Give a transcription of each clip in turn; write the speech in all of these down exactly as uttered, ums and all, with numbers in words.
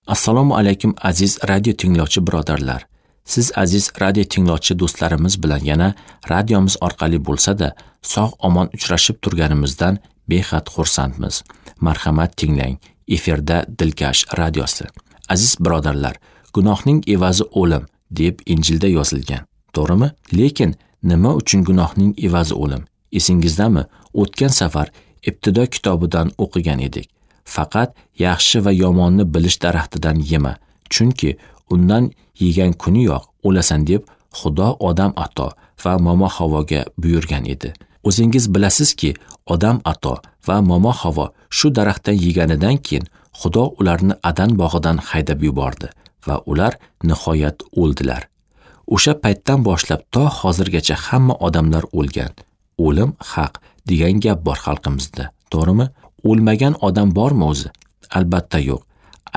Assalomu alaykum aziz radio tinglovchi birodarlar. Siz aziz radio tinglovchi do'stlarimiz bilan yana radiomiz orqali bo'lsa-da, sog' omon uchrashib turganimizdan behad xursandmiz. Marhamat tinglang. Efirda Dilkash radiosi. Aziz birodarlar, gunohning evazi o'lim deb Injilda yozilgan. To'g'rimi? Lekin nima uchun gunohning evazi o'lim? Esingizdami? O'tgan safar Ibtido kitobidan o'qigan edik. Faqat yaxshi va yomonni bilish daraxtidan yema, chunki undan yegan kuniyoq o'lasan deb Xudo Odam ato va Momo Havoga buyurgan edi. O'zingiz bilasizki, Odam ato va Momo Havo shu daraxtdan yeganidan keyin Xudo ularni Adan bog'idan haydab yubordi va ular nihoyat o'ldilar. O'sha paytdan boshlab to hozirgacha hamma odamlar o'lgan. O'lim haq degan gap bor xalqimizda, to'g'rimi? O'lmagan odam bormi o'zi? Albatta yo'q.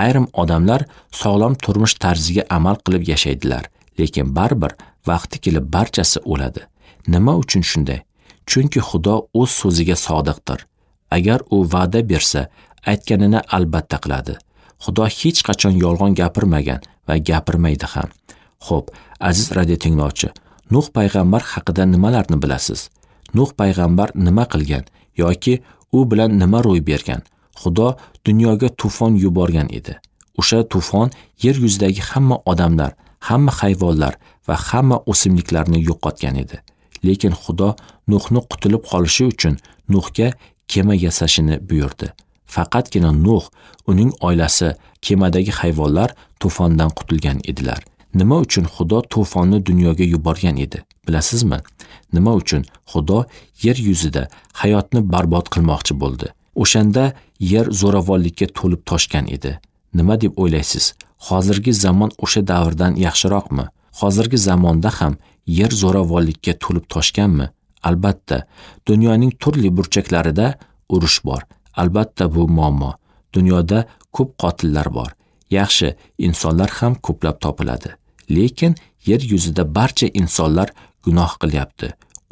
Ayrim odamlar sog'lom turmush tarziga amal qilib yashaydilar, lekin baribir vaqti kelib barchasi o'ladi. Nima uchun shunday? Chunki Xudo o'z so'ziga sodiqdir. Agar u va'da bersa, aytganini albatta qiladi. Xudo hech qachon yolg'on gapirmagan va gapirmaydi ham. Xo'p, aziz radio tinglovchi, Nuh payg'ambar haqida nimalarni bilasiz? Nuh payg'ambar nima qilgan yoki u bilan nima ro'y bergan? Xudo dunyoga tufon yuborgan edi. O'sha tufon yer yuzidagi hamma odamlar, hamma hayvonlar va hamma o'simliklarni yo'qotgan edi. Lekin Xudo Nuhni qutulib qolishi uchun Nuhga kema yasashini buyurdi. Faqatgina Nuh, uning oilasi, kemadagi hayvonlar tufondan qutulgan edilar. Nima uchun Xudo tufonni dunyoga yuborgan edi? Bilasizmi? Nima uchun Xudo yer yuzida hayotni barbod qilmoqchi bo'ldi? O'shanda yer zo'ravonlikka to'lib toshgan edi. Nima deb o'ylaysiz? Hozirgi zamon o'sha davrdan yaxshiroqmi? Hozirgi zamonda ham yer zo'ravonlikka to'lib toshganmi? Albatta, dunyoning turli burchaklarida urush bor. Albatta bu muammo. Dunyoda ko'p qotillar bor. Yaxshi insonlar ham ko'plab topiladi. Lekin yer yuzida barcha insonlar gunoh qilyapti.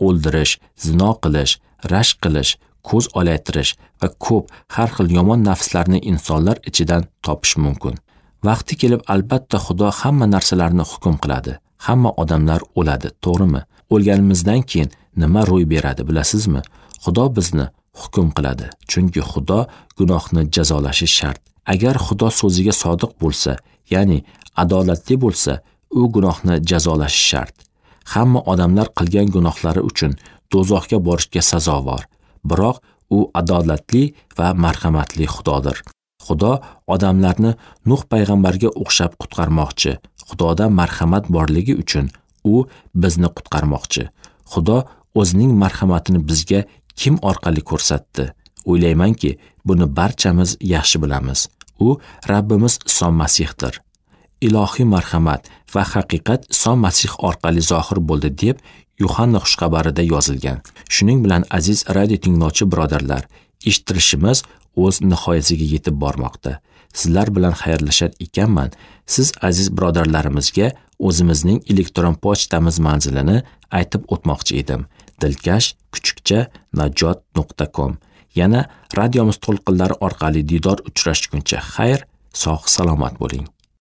O'ldirish, zino qilish, rashk qilish, ko'z olaytirish va ko'p har xil yomon nafslarni insonlar ichidan topish mumkin. Vaqti kelib albatta Xudo hamma narsalarni hukm qiladi. Hamma odamlar o'ladi, to'g'rimi? O'lganimizdan keyin nima ro'y beradi bilasizmi? Xudo bizni hukm qiladi. Chunki Xudo gunohni jazolashi shart. Agar Xudo so'ziga sodiq bo'lsa, ya'ni adolatli bo'lsa, u gunohni jazolashi shart. Hamma odamlar qilgan gunohlari uchun do'zaxga borishga sazovor. Biroq u adolatli va marhamatli Xudodir. Xudo odamlarni Nuh payg'ambarga o'xshab qutqarmoqchi. Xudoda marhamat borligi uchun u bizni qutqarmoqchi. Xudo o'zining marhamatini bizga kim orqali ko'rsatdi? O'ylaymanki, buni barchamiz yaxshi bilamiz. U Rabbimiz Iso Masihdir. Ilohiy marhamat va haqiqat Iso Masih orqali zohir bo'ldi deb Yuhanna xushxabarida yozilgan. Shuning bilan aziz radio tinglovchi birodarlar, eshittirishimiz o'z nihoyasiga yetib bormoqda. Sizlar bilan xayrlashar ekanman, siz aziz birodarlarimizga o'zimizning elektron pochtamiz manzilini aytib o'tmoqchi edim. Dilkash kuchukcha najot nuqta com. Yana radiomiz to'lqinlari orqali diydor uchrashguncha xayr, sog' salomat bo'ling.